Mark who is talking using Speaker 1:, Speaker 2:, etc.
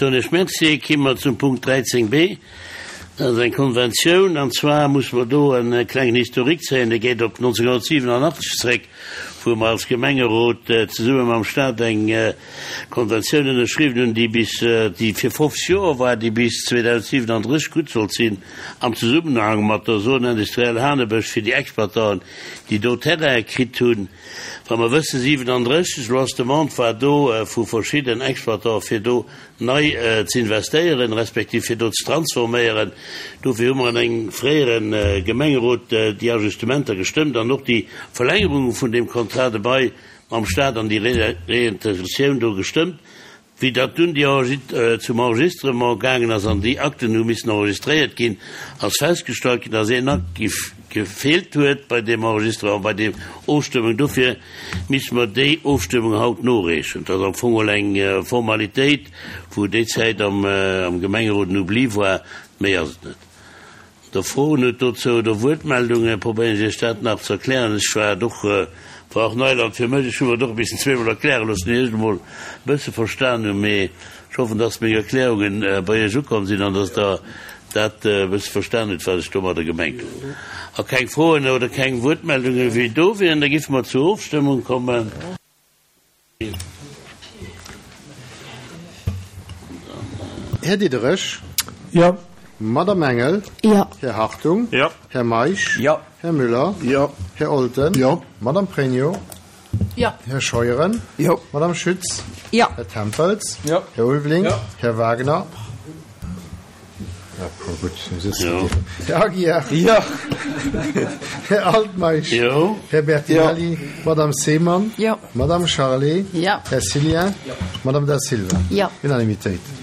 Speaker 1: Soen ech Merci. Ki mer zum Punkt 13 b. Dat ass eng Konventioun, an zwar musse mer do e klengen Historique zéien, dee geet op 1987 zréck, wou mer als Gemengerot zesumme mam Stat eng Konventioun ënnerschriwwen hunn, déi bis, déi fir 50 Joer war, déi bis 2037 gutt sollt sinn, am Zesummenhang mat der Zone industrielle Hanebësch fir déi Exploitanten, déi do Terraine kritt hunn. Wa mer wëssen, 37, elo ass d'Demande war do vu verschidden Exploitanten, fir do nei ze investéieren, respektiv fir do ze transforméieren. Dofir hu mer an engem fréiere Gemengerot déi Ajustementer gestëmmt an och déi Verlängerung vun deem Contrat de bail mam Stat an déi Réintégratioun do gestëmmt. Wéi dat dunn déi zum Enregistrement gaangen ass an déi Akten hu missen enregistréiert ginn, ass festgestallt ginn, dass een Akt gefeelt huet bei deem Enregistrement, bei deem Ofstëmmung. Dofir misste mer déi Ofstëmmung haut noreechen. Dat ass am Fong elo eng Formalitéit, wou déi Zäit am Gemengerot en Oubli war. Méi ass et net. Der Froen hutt dozou oder Wuertmeldungen, probéieren ech Iech dat nach ze erklären. Ech war et och, war och Neiland fir mech. Ech hu mer et och e bissen zweemol erkläre loossen, ier ech et emol e bësse verstan hunn. Mee ech hoffen, dass meng Erklärungen bei Iech ukomm sinn an dass Der dat e bësse verstan hutt, wat ech domadder gemengt hunn. A keng Froen oder keng Wuertmeldungen wéi do wieren, da giffe mer zur Ofstëmmung kommen.
Speaker 2: Här Diderich.
Speaker 3: Jo.
Speaker 2: Madamm Engel.
Speaker 4: Jo.
Speaker 2: Här Hartung.
Speaker 3: Jo.
Speaker 2: Här Meisch.
Speaker 3: Jo.
Speaker 2: Här Müller.
Speaker 3: Jo.
Speaker 2: Här Olten.
Speaker 3: Jo.
Speaker 2: Madamm Pregno.
Speaker 4: Jo.
Speaker 2: Här Scheuren.
Speaker 3: Jo.
Speaker 2: Madamm Schütz.
Speaker 4: Jo.
Speaker 2: Här Tempels.
Speaker 3: Jo.
Speaker 2: Här Ulveling.
Speaker 3: Jo.
Speaker 2: Här Wagner. Här Aguiar.
Speaker 3: Jo.
Speaker 2: Här Altmeisch.
Speaker 1: Jo.
Speaker 2: Här Bertinelli. Madamm Seemann.
Speaker 4: Jo.
Speaker 2: Madamm Charlé.
Speaker 4: Jo.
Speaker 2: Här Cillien.
Speaker 3: Jo.
Speaker 2: Madamm Da Silva.
Speaker 4: Jo.
Speaker 2: Unanimitéit.